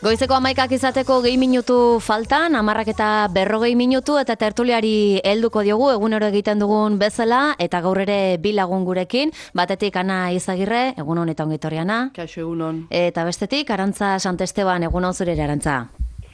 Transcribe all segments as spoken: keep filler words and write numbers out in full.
Goizeko hamaikak izateko gehi minutu faltan, hamarrak eta berrogei minutu eta tertuliari helduko diogu egunero egiten dugun bezala eta gaur ere bi lagun gurekin, batetik Ana Izagirre, egun hon eta ongitorriana. Kaixo egunon. Eta bestetik Arantza Santesteban, egun hon zure Arantza.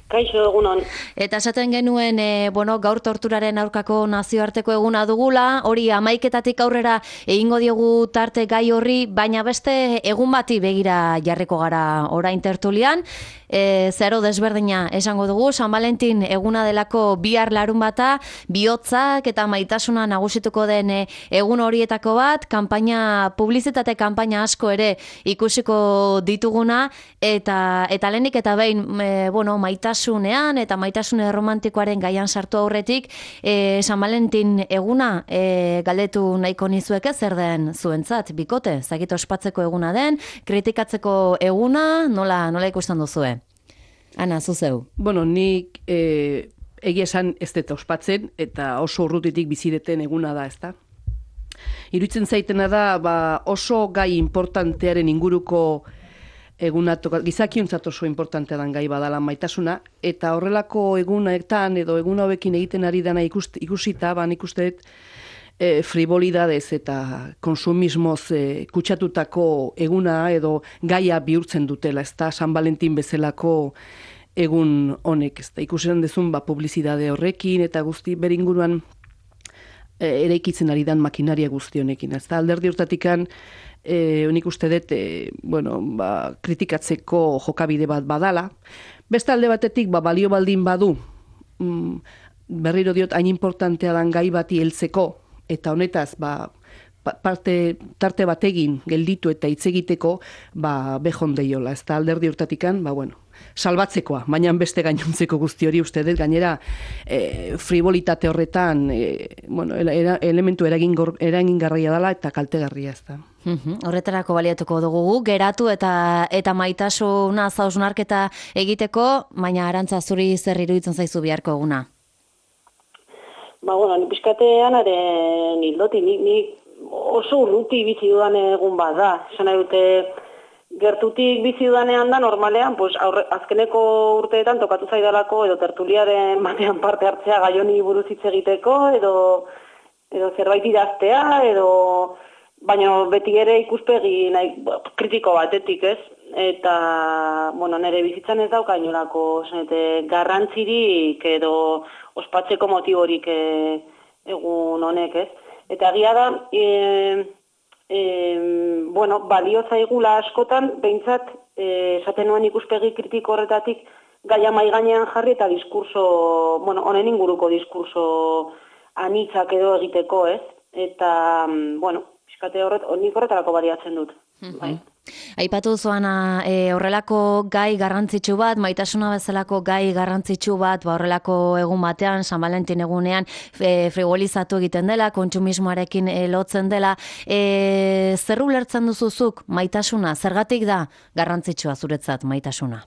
Kaixo egunon. Eta esaten genuen, e, bueno, gaur torturaren aurkako nazioarteko eguna dugula, hori hamaiketatik aurrera egingo diogu tarte gai horri, baina beste egun bati begira jarriko gara orain tertulian, e, zero desberdina esango dugu, San Valentin eguna delako bihar larun bata, bihotzak eta maitasuna nagusituko den egun horietako bat, kanpaina, publizitate kanpaina asko ere ikusiko dituguna, eta, eta lehenik eta behin, e, bueno, maitasuna Maitasunean eta maitasune romantikoaren gaian sartu aurretik, e, San Valentin eguna e, galdetu nahiko nizueke zer den zuentzat, bikote, zagit ospatzeko eguna den, kritikatzeko eguna, nola, nola ikusten duzue? Ana, zuzeu. Bueno, nik e, egia esan ez dut ospatzen eta oso urrutitik bizideten eguna da, ezta? Iruditzen zaitena da, ba, oso gai importantearen inguruko eguna gizakiontzat oso importantea dan gai badala maitasuna, eta horrelako egunetan edo egun hauekin egiten ari dana ikust, ikusita, ban ikusteet e, frivolidadez eta konsumismoz e, kutsatutako eguna edo gaia bihurtzen dutela, ez da San Valentin bezalako egun honek, ez da ikusten dezun ba, publizidade horrekin eta guzti beringuruan e, eraikitzen ari dan makinaria guzti honekin, ez da alderdi urtatikan E, unik uste dut, e, bueno, ba, kritikatzeko jokabide bat badala. Beste alde batetik, ba, balio baldin badu, mm, berriro diot, hain importantea dan gai bati heltzeko, eta honetaz, ba, parte, tarte bategin gelditu eta hitz egiteko, ba, behon deiola. Ez da alderdi urtatikan, ba, bueno, salbatzekoa, baina beste gainontzeko guzti hori uste dut, gainera e, frivolitate horretan e, bueno, era, elementu eragingarria dela eta kaltegarria ez da. Uhum, horretarako baliatuko dugu, geratu eta eta maitasuna zausnarketa egiteko, baina Arantza zuri zer iruditzen zaizu biharko eguna? Ba, bueno, ni pixkatean aren hildoti, ni, ni oso urruti bizi dudan egun bat da. Esan nahi dute, gertutik bizi dudanean da, normalean, pues, aurre, azkeneko urteetan tokatu zaidalako, edo tertuliaren batean parte hartzea gaioni buruz hitz egiteko, edo, edo zerbait idaztea, edo... Baina beti ere ikuspegi nahi, kritiko batetik, ez? Eta, bueno, nire bizitzan ez dauka inolako garrantzirik edo ospatzeko motiborik e, egun honek, ez? Eta egia da, e, e, bueno, balio zaigula askotan, behintzat, e, esaten nuen ikuspegi kritiko horretatik, gaia mai gainean jarri eta diskurso, bueno, honen inguruko diskurso anitzak edo egiteko, ez? Eta, bueno, piskate horret, nik horretarako baliatzen dut. Mm-hmm. Bai. Aipatu zuana e, horrelako gai garrantzitsu bat, maitasuna bezalako gai garrantzitsu bat, ba, horrelako egun batean, San Valentin egunean, e, frivolizatu egiten dela, kontsumismoarekin e, lotzen dela. E, zer ulertzen duzuzuk maitasuna? Zergatik da garrantzitsua zuretzat maitasuna?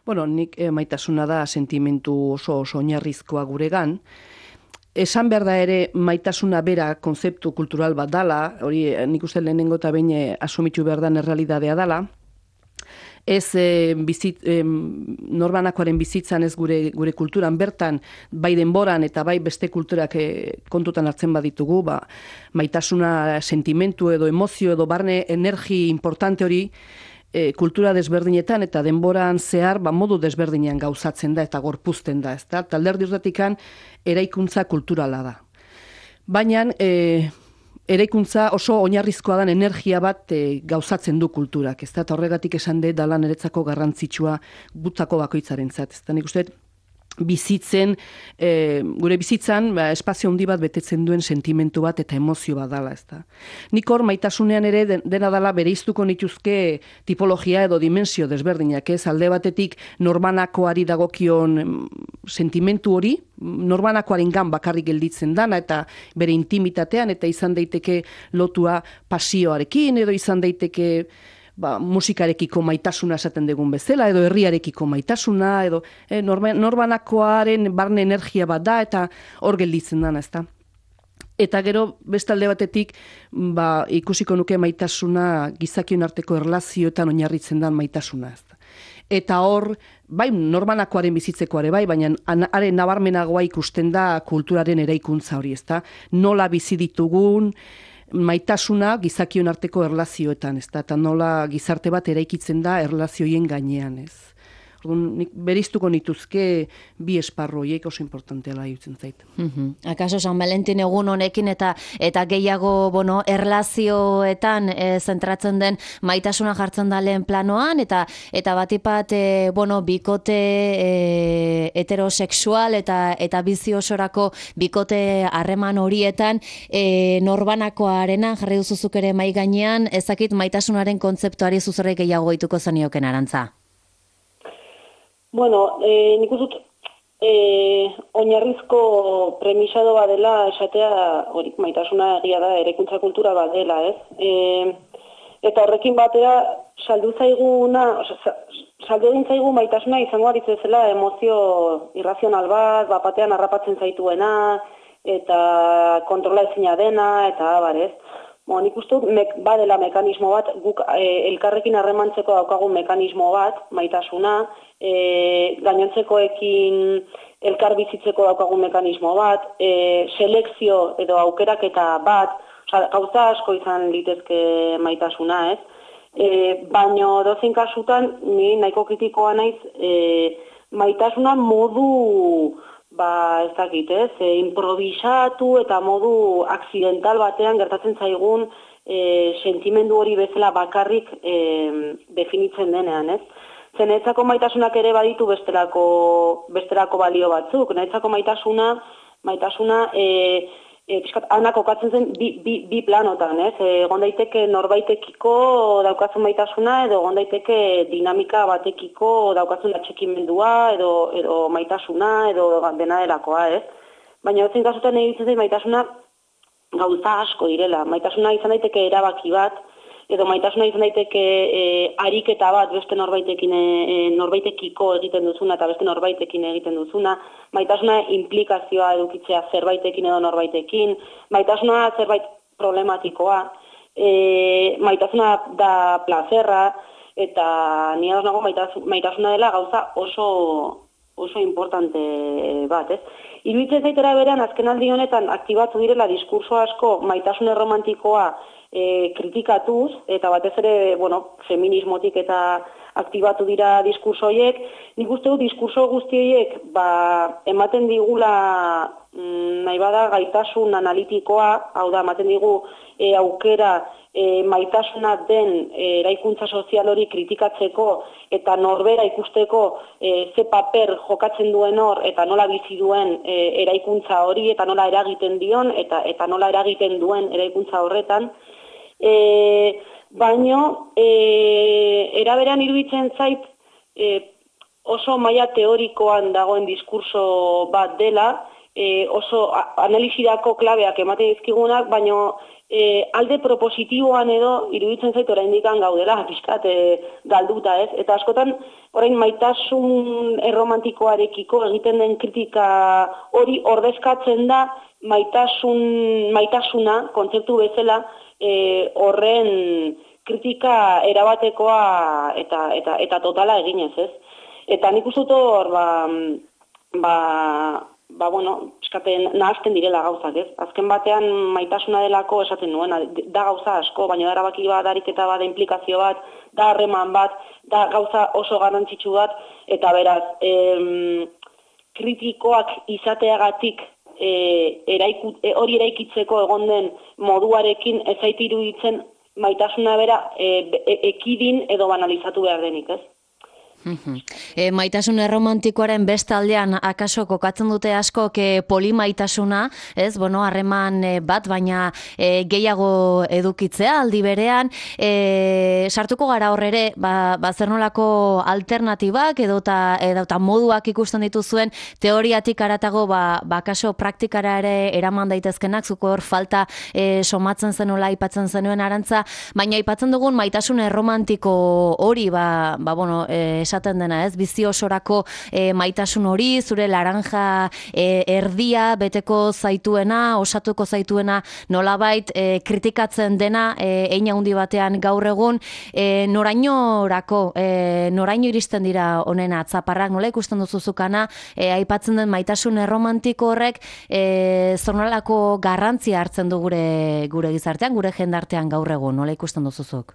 Bueno, nik e, maitasuna da sentimentu oso oso oinarrizkoa guregan. Esan behar da ere maitasuna bera konzeptu kultural bat dala, hori nik uste lehenengo eta behin asumitu behar dan errealidadea dala. Ez e, bizit, e, norbanakoaren bizitzan ez gure, gure kulturan bertan, bai denboran eta bai beste kulturak e, kontutan hartzen baditugu, ba, maitasuna sentimentu edo emozio edo barne energi importante hori, E, kultura desberdinetan eta denboran zehar ba, modu desberdinean gauzatzen da eta gorpuzten da. Ez da? Alderdi urtatikan eraikuntza kulturala da. Baina e, eraikuntza oso oinarrizkoa den energia bat e, gauzatzen du kulturak. Ez da? Eta horregatik esan dut dala niretzako garrantzitsua gutzako bakoitzarentzat. Ez da? Nik uste bizitzen, e, gure bizitzan ba, espazio handi bat betetzen duen sentimentu bat eta emozio bat dala, ez da. Nik hor maitasunean ere dena dala bereiztuko nituzke tipologia edo dimensio desberdinak, ez alde batetik norbanakoari dagokion sentimentu hori, norbanakoarengan bakarrik gelditzen dana eta bere intimitatean eta izan daiteke lotua pasioarekin edo izan daiteke ba, musikarekiko maitasuna esaten dugun bezala, edo herriarekiko maitasuna, edo eh, norbanakoaren barne energia bat da, eta hor gelditzen dana, ezta. Eta gero, bestalde batetik, ba, ikusiko nuke maitasuna gizakion arteko erlazioetan oinarritzen dan maitasuna, ezta. eta hor, bai, norbanakoaren bizitzekoare bai, baina haren nabarmenagoa ikusten da kulturaren eraikuntza hori, ezta? Nola bizi ditugun, maitasuna gizakion arteko erlazioetan, ezta? Eta nola gizarte bat eraikitzen da erlazioien gainean, ez? Orduan, nik beriztuko nituzke bi esparru horiek oso importanteala iruditzen zait. Mm-hmm. Akaso San Valentin egun honekin eta eta gehiago, bueno, erlazioetan e, zentratzen den maitasuna jartzen da lehen planoan eta eta batipat e, bueno, bikote e, heterosexual eta eta bizi osorako bikote harreman horietan e, norbanakoarena jarri duzuzuk ere mai gainean, ezakit maitasunaren kontzeptuari zuzurrek gehiago gehituko zenioken Arantza. Bueno, eh, nik uzut, eh, oinarrizko premisado badela esatea, hori maitasuna egia da, eraikuntza kultura badela, ez? E, eta horrekin batera, saldu zaiguna, oza, saldu egin zaigu maitasuna izango aritzezela emozio irrazional bat, bapatean harrapatzen zaituena, eta kontrola ezina dena, eta abar, ez? Bo, nik uste dut, mek, badela mekanismo bat, guk e, elkarrekin harremantzeko daukagun mekanismo bat, maitasuna, e, gainontzekoekin elkar bizitzeko daukagun mekanismo bat, e, selekzio edo aukeraketa bat, oza, gauza asko izan litezke maitasuna, ez? E, baino dozein kasutan, ni nahiko kritikoa naiz, e, maitasuna modu... ba, ez dakit, ez, e, improvisatu eta modu akzidental batean gertatzen zaigun e, sentimendu hori bezala bakarrik e, definitzen denean, ez? Zen, netzako maitasunak ere baditu bestelako, bestelako balio batzuk, netzako maitasuna, maitasuna, e, e, piskat, ana kokatzen zen bi, bi, bi planotan, ez? Egon daiteke norbaitekiko daukazun maitasuna, edo egon daiteke dinamika batekiko daukazun atxekimendua, edo, edo maitasuna, edo dena delakoa, ez? Baina ez kasutan egitzen zen maitasuna gauza asko direla. Maitasuna izan daiteke erabaki bat, edo maitasuna izan daiteke e, ariketa bat beste norbaitekin e, norbaitekiko egiten duzuna eta beste norbaitekin egiten duzuna, maitasuna implikazioa edukitzea zerbaitekin edo norbaitekin, maitasuna zerbait problematikoa, e, maitasuna da plazerra, eta ni ados nago maitasuna dela gauza oso oso importante bat, ez? Iruditzen zaitera berean azkenaldi honetan aktibatu direla diskurso asko maitasun erromantikoa E, kritikatuz, eta batez ere, bueno, feminismotik eta aktibatu dira diskurso horiek, nik uste dut diskurso guzti horiek ba, ematen digula mm, nahi bada gaitasun analitikoa, hau da, ematen digu e, aukera e, maitasuna den e, eraikuntza sozial hori kritikatzeko eta norbera ikusteko e, ze paper jokatzen duen hor eta nola bizi duen e, eraikuntza hori eta nola eragiten dion eta, eta nola eragiten duen eraikuntza horretan. E, baino, e, eraberan iruditzen zait e, oso maila teorikoan dagoen diskurso bat dela, e, oso analisirako klabeak ematen dizkigunak, baino e, alde propositiboan edo iruditzen zait oraindik gaudela, pixkat e, galduta, ez? Eta askotan, orain maitasun erromantikoarekiko egiten den kritika hori ordezkatzen da maitasun, maitasuna, kontzeptu bezala, E, horren kritika erabatekoa eta, eta, eta totala eginez, ez? Eta nik uste dut hor, ba, ba, ba, bueno, eskaten nahazten direla gauzak, ez? Azken batean maitasuna delako esaten nuena, da gauza asko, baina da erabaki bat, da ariketa bat, da implikazio bat, da harreman bat, da gauza oso garrantzitsu bat, eta beraz, em, kritikoak izateagatik E, eraiku, e, hori eraikitzeko egon den moduarekin ez zait iruditzen maitasuna bera e, e, ekidin edo banalizatu behar denik, ez? E, maitasun erromantikoaren beste aldean akaso kokatzen dute asko ke polimaitasuna, ez, bueno, harreman bat, baina e, gehiago edukitzea aldi berean, e, sartuko gara horrere, ba, ba zer nolako alternatibak edo eta moduak ikusten dituzuen teoriatik haratago, ba, ba akaso praktikara ere eraman daitezkenak, zuko hor falta e, somatzen zenuela aipatzen zenuen Arantza, baina aipatzen dugun maitasun erromantiko hori, ba, ba bueno, e, esaten dena, ez? Bizi osorako e, maitasun hori, zure laranja e, erdia beteko zaituena, osatuko zaituena nolabait e, kritikatzen dena e, hein handi batean gaur egun, e, norainorako, e, noraino iristen dira honen atzaparrak, nola ikusten duzuzukana, e, aipatzen den maitasun erromantiko horrek e, zonolako garrantzia hartzen du gure, gure gizartean, gure jendartean gaur egun, nola ikusten duzuzuk?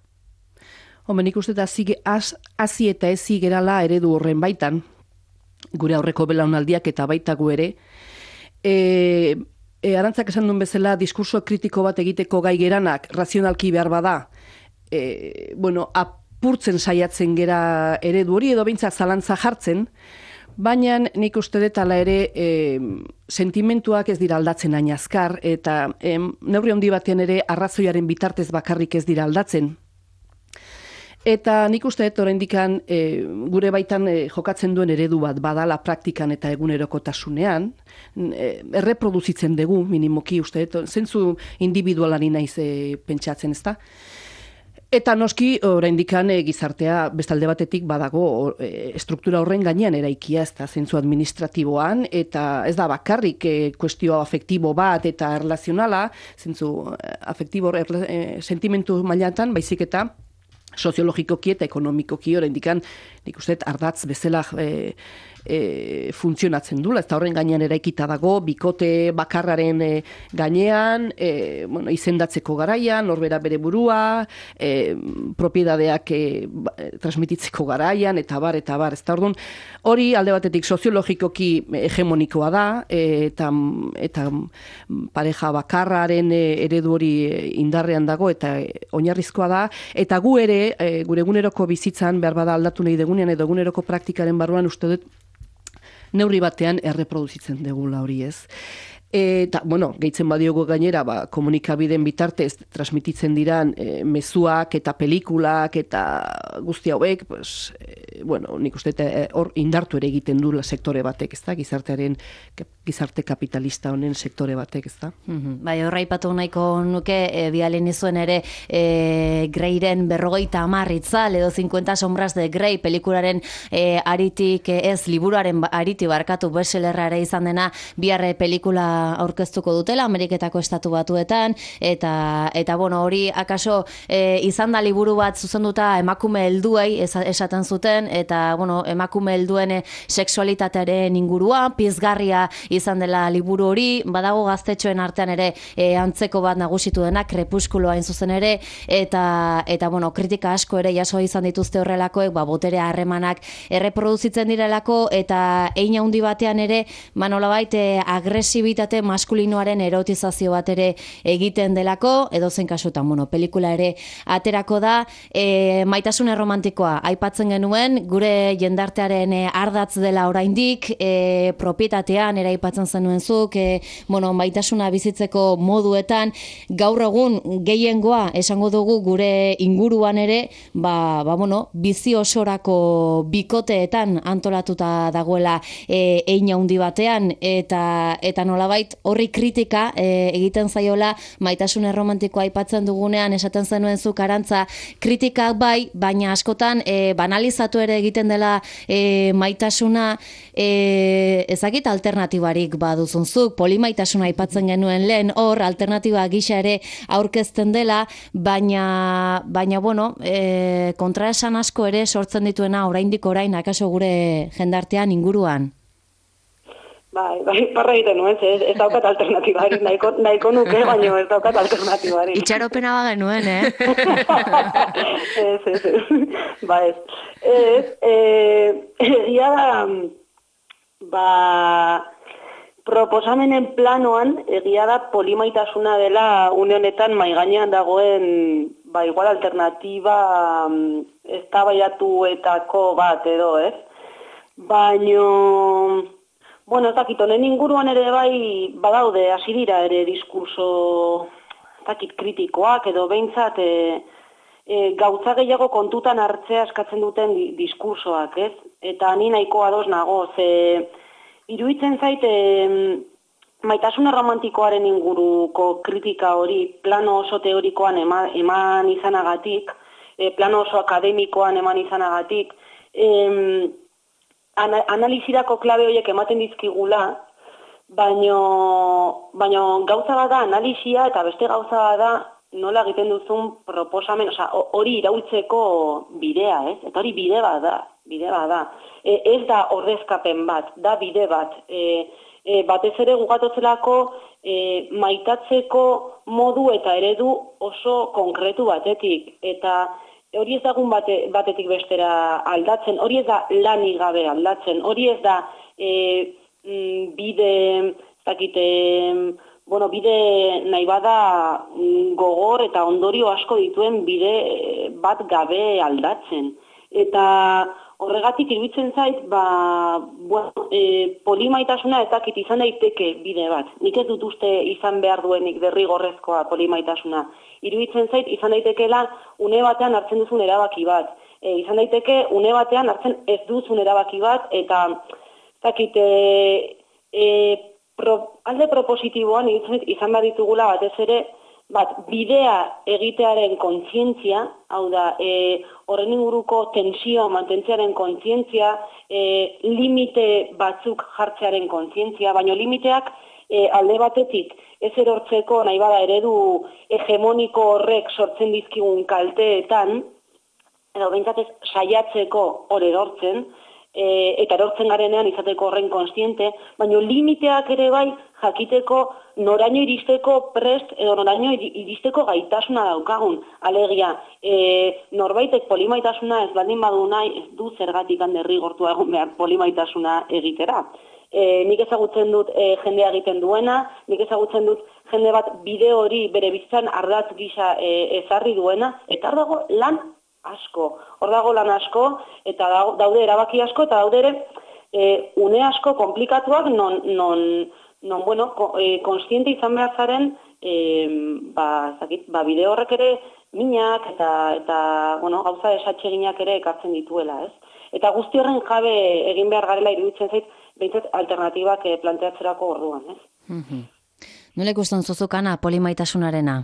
Hombre, nik uste da hazi eta ezi gerala eredu horren baitan, gure aurreko belaunaldiak eta baitagu ere, e, e, Arantzak esan duen bezala, diskurso kritiko bat egiteko gai geranak, razionalki behar bada, e, bueno, apurtzen saiatzen gera eredu hori, edo behintzak zalantza jartzen, baina nik uste dut ala ere e, sentimentuak ez dira aldatzen hain azkar, eta e, neurri handi batean ere arrazoiaren bitartez bakarrik ez dira aldatzen. Eta nik uste dut oraindikan e, gure baitan e, jokatzen duen eredu bat badala praktikan eta egunerokotasunean, e, erreproduzitzen dugu minimoki uste dut, zentzu individualari naiz e, pentsatzen, ezta? Eta noski oraindikan e, gizartea bestalde batetik badago e, struktura horren gainean eraikia, ezta, zentzu administratiboan, eta ez da bakarrik e, kuestio afektibo bat eta erlazionala, zentzu afektibo erla, e, sentimentu mailatan, baizik eta soziologikoki eta ekonomikoki oraindikan nik uste ardatz bezala e, e, funtzionatzen dula, eta horren gainean eraikita dago, bikote bakarraren e, gainean, e, bueno, izendatzeko garaian, norbera bere burua, e, propiedadeak e, transmititzeko garaian, eta bar, eta bar, ez da orduan, hori alde batetik soziologikoki hegemonikoa da, e, eta, eta pareja bakarraren e, eredu hori indarrean dago, eta e, oinarrizkoa da, eta gu ere, e, gure eguneroko bizitzan, behar bada aldatu nahi degunean, edo eguneroko praktikaren barruan uste dut, neurri batean erreproduzitzen degula hori ez. Eta, bueno, gehitzen badiogo gainera, ba, komunikabideen bitartez transmititzen diran e, mezuak eta pelikulak eta guzti hauek, pues, e, bueno, nik uste hor e, indartu ere egiten du sektore batek, ez da, gizartearen, gizarte kapitalista honen sektore batek, ez da. Mm-hmm. Bai, horra ipatu nahiko nuke, e, bialen izuen ere, e, Greyren berrogeita hamar itzal, edo cincuenta sombras de Grey, pelikularen e, aritik, e, ez, liburuaren ariti barkatu bestsellerra ere izan dena, biarre pelikula aurkeztuko dutela Ameriketako estatu batuetan, eta eta bueno, hori akaso e, izan da liburu bat zuzenduta emakume helduei esaten zuten, eta bueno, emakume helduen sexualitatearen ingurua pizgarria izan dela liburu hori, badago gaztetxoen artean ere e, antzeko bat nagusitu dena, Krepuskulo hain zuzen ere, eta eta bueno, kritika asko ere jaso izan dituzte horrelakoek, ba botere harremanak erreproduzitzen direlako, eta hein handi batean ere, ba nolabait e, agresibitate maskulinoaren erotizazio bat ere egiten delako, edo zen kasutan, bueno, pelikula ere aterako da, e, maitasun erromantikoa aipatzen genuen, gure jendartearen e, ardatz dela oraindik, e, propietatean ere aipatzen zenuen zuk, e, bueno, maitasuna bizitzeko moduetan, gaur egun gehiengoa esango dugu gure inguruan ere, ba, ba bueno, bizi osorako bikoteetan antolatuta dagoela e, hein handi batean, eta, eta nolabait horri kritika e, egiten zaiola maitasun erromantikoa aipatzen dugunean, esaten zenuen zuk Arantza, kritikak bai, baina askotan e, banalizatu ere egiten dela e, maitasuna, e, ezakit alternatibarik baduzun zuk, polimaitasuna aipatzen genuen lehen, hor alternatiba gisa ere aurkezten dela, baina, baina bueno, e, kontraesan asko ere sortzen dituena oraindik orain akaso gure jendartean inguruan. Bai, bai, parra egiten nuen, ez, ez daukat alternatibari, nahiko, nahiko nuke, baina ez daukat alternatibari. Itxaropena ba genuen, eh? ez, ez, ez, ba ez. Ez, egia da, ba, proposamenen planoan, egia da polimaitasuna dela une honetan mai gainean dagoen, ba, igual alternatiba eztabaiatuetako bat edo, ez? Baino... Bueno, ez dakit, honen inguruan ere bai badaude, hasi dira ere diskurso dakit kritikoak edo behintzat e, e, gauza gehiago kontutan hartzea eskatzen duten di, diskursoak, ez? Eta ni nahiko ados nago, ze iruditzen zait e, maitasun romantikoaren inguruko kritika hori plano oso teorikoan eman, eman izanagatik, e, plano oso akademikoan eman izanagatik, em, ana, analizirako klabe horiek ematen dizkigula, baino, baino gauza bada analizia eta beste gauza bada nola egiten duzun proposamen, osea, hori iraultzeko bidea, ez? Eta hori bide bat da, bide bat da. E, ez da ordezkapen bat, da bide bat. E, e, batez ere gugatotzelako e, maitatzeko modu eta eredu oso konkretu batetik. Eta hori ez dagun bate, batetik bestera aldatzen, hori ez da lanik gabe aldatzen, hori ez da e, bide, ez dakite, bueno, bide nahi bada gogor eta ondorio asko dituen bide bat gabe aldatzen. Eta horregatik iruditzen zait, ba, bueno, e, polimaitasuna ez dakit izan daiteke bide bat. Nik ez dut uste izan behar duenik derrigorrezkoa polimaitasuna. Iruditzen zait, izan daitekeela une batean hartzen duzun erabaki bat. E, izan daiteke une batean hartzen ez duzun erabaki bat, eta ez dakit, e, e, Pro, alde propositiboan izan behar ditugula batez ere, bat bidea egitearen kontzientzia, hau da, e, horren inguruko tensio mantentzearen kontzientzia, e, limite batzuk jartzearen kontzientzia, baina limiteak e, alde batetik ez erortzeko nahi bada eredu hegemoniko horrek sortzen dizkigun kalteetan, edo behintzat ez saiatzeko hor erortzen, E, eta erortzen garenean izateko horren konstiente, baina limiteak ere bai jakiteko noraino iristeko prest edo noraino iristeko gaitasuna daukagun. Alegia, e, norbaitek polimaitasuna ez baldin badu nahi, ez du zergatik derrigortua egon behar polimaitasuna egitera. E, nik ezagutzen dut e, jendea egiten duena, nik ezagutzen dut jende bat bide hori bere bizitzan ardatz gisa e, ezarri duena, eta hor dago lan asko. Hor dago lan asko, eta daude erabaki asko, eta daude ere e, une asko komplikatuak non, non, non bueno, e, konstiente izan behar zaren, e, ba, zakit, ba, bide horrek ere minak eta, eta bueno, gauza esatxeginak ere ekartzen dituela, ez? Eta guzti horren jabe egin behar garela iruditzen zait, behintzat alternatibak e, planteatzerako orduan, ez? Mm-hmm. Nola ikusten zuzukana polimaitasunarena?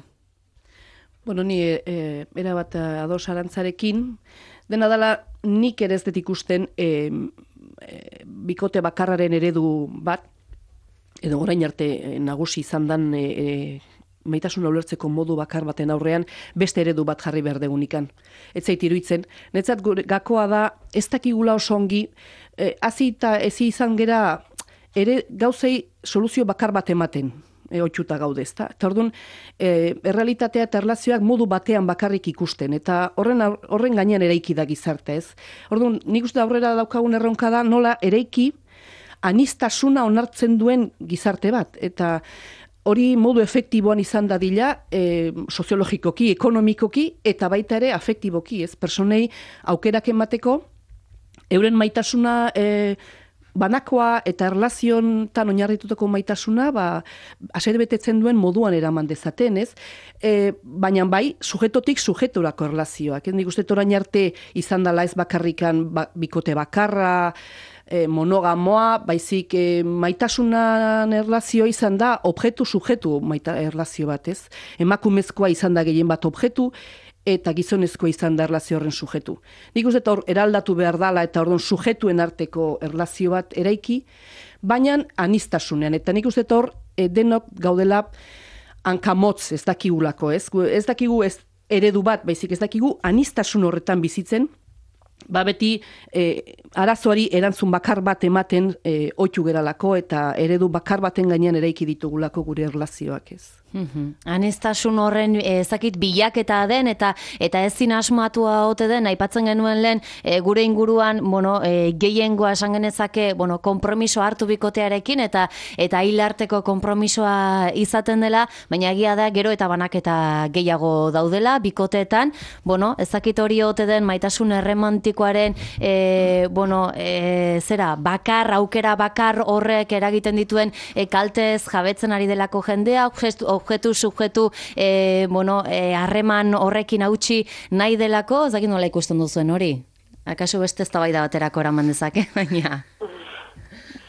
Bueno, ni e, erabat ados arantzarekin, dena dela nik ere ez dut ikusten e, e, bikote bakarraren eredu bat, edo orain arte e, nagusi izan dan e, e, maitasuna ulertzeko modu bakar baten aurrean beste eredu bat jarri behar degunikan. Ez zait iruditzen, netzat gakoa da ez dakigula oso ongi, e, hazi eta ezi izan gera ere gauzei soluzio bakar bat ematen. E, otxuta gaude, ezta? Eta orduan, e, errealitatea eta erlazioak modu batean bakarrik ikusten, eta horren horren gainean eraiki da gizarte, ez? Orduan, nik uste aurrera daukagun erronka da nola eraiki aniztasuna onartzen duen gizarte bat, eta hori modu efektiboan izan dadila, e, soziologikoki, ekonomikoki, eta baita ere afektiboki, ez? Personei aukerak emateko, euren maitasuna e, banakoa eta erlaziontan oinarritutako maitasuna, ba, aser betetzen duen moduan eraman dezaten, ez? E, baina bai, sujetotik sujeturako erlazioak. Nik uste orain arte izan dela ez bakarrikan ba, bikote bakarra, e, monogamoa, baizik e, maitasunan erlazioa izan da objektu sujetu maita erlazio bat, ez? Emakumezkoa izan da gehien bat objektu, eta gizonezkoa izan da erlazio horren sujetu. Nik uste hor eraldatu behar dala eta orduan sujetuen arteko erlazio bat eraiki, baina aniztasunean. Eta nik uste hor e, denok gaudela hankamotz ez dakigulako, ez? Ez dakigu ez eredu bat, baizik ez dakigu aniztasun horretan bizitzen, ba beti e, arazoari erantzun bakar bat ematen e, oitu geralako eta eredu bakar baten gainean eraiki ditugulako gure erlazioak, ez? Mm-hmm. Aniztasun horren ezakit bilaketa den eta eta ezin asmatua ote den, aipatzen genuen lehen e, gure inguruan, bueno, e, gehiengoa esan genezake, bueno, konpromiso hartu bikotearekin eta eta hilarteko konpromisoa izaten dela, baina egia da gero eta banaketa gehiago daudela bikoteetan, bueno, ezakit hori ote den maitasun erromantikoaren e, bueno, e, zera, bakar, aukera bakar horrek eragiten dituen e, kaltez jabetzen ari delako jendea, objektu, subjektu, e, bueno, e, harreman horrekin hautsi nahi delako, ez dakit nola ikusten duzuen hori? Akaso beste eztabaida baterako eraman dezake, baina...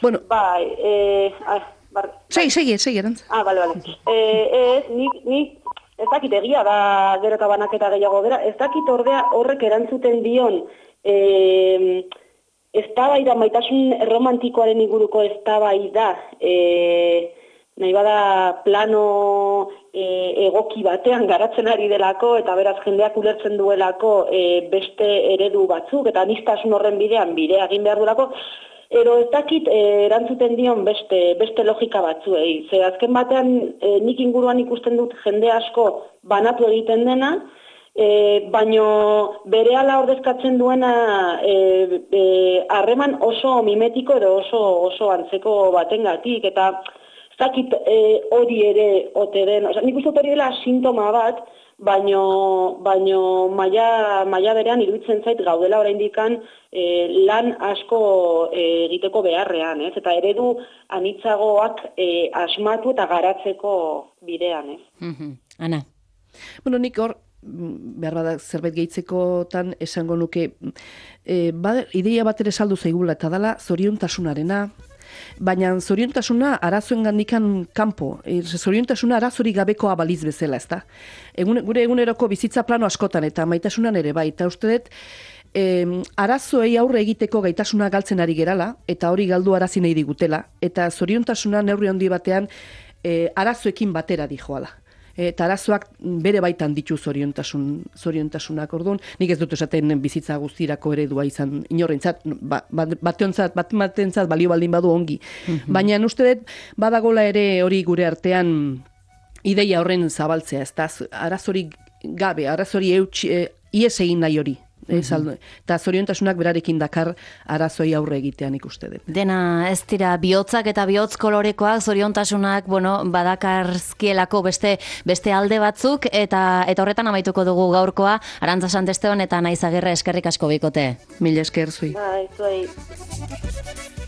Bueno, bai, eh... Ah, bar, segi, segi, segi, erantz. Ah, bale, bale. Eh, ez, nik, nik, ez dakit egia da gero eta banaketa gehiago bera, ez dakit ordea horrek erantzuten dion e, eztabaida, maitasun romantikoaren inguruko eztabaida, e, nahi bada plano e, egoki batean garatzen ari delako, eta beraz jendeak ulertzen duelako e, beste eredu batzuk, eta aniztasun horren bidean bidea egin behar duelako, ero ez dakit e, erantzuten dion beste, beste logika batzuei. Ze azken batean e, nik inguruan ikusten dut jende asko banatu egiten dena, e, baino berehala ordezkatzen duena harreman e, e, oso mimetiko edo oso, oso antzeko batengatik, eta zakit hori e, ere ote den, oza, nik uste hori dela sintoma bat, baino, baino maila, maila berean iruditzen zait gaudela oraindikan e, lan asko e, egiteko beharrean, ez? Eta eredu anitzagoak e, asmatu eta garatzeko bidean, ez? Mm-hmm. Ana? Bueno, nik hor, behar bada zerbait gehitzekotan esango nuke, e, ba, ideia bat ere saldu zaigula, eta dala zoriontasunarena, baina zoriontasuna arazoen gandikan kanpo, e, zoriontasuna arazorik gabekoa baliz bezala, ezta? Egun, gure eguneroko bizitza plano askotan eta maitasunan ere bai, eta uste dut, e, arazoei aurre egiteko gaitasuna galtzen ari gerala, eta hori galdu arazi nahi digutela, eta zoriontasuna neurri handi batean e, arazoekin batera dijoala. Eta arazoak bere baitan ditu zoriontasun, zoriontasunak, orduan, nik ez dut esaten bizitza guztirako eredua izan inorrentzat, ba, bateontzat, bat batentzat balio baldin badu ongi. Mm-hmm. Baina uste dut, badagola ere hori gure artean ideia horren zabaltzea, ez da, arazorik gabe, arazorik eutxi, e, ies egin nahi hori. Mm-hmm. Eta zoriontasunak berarekin dakar arazoi aurre egitean ikuste dut. Dena ez dira bihotzak eta bihotz kolorekoak, zoriontasunak, bueno, badakarzkielako beste beste alde batzuk, eta eta horretan amaituko dugu gaurkoa. Arantza Santesteon eta Naiz Agirre, eskerrik asko bikote. Mila esker zui. Bai, zuei.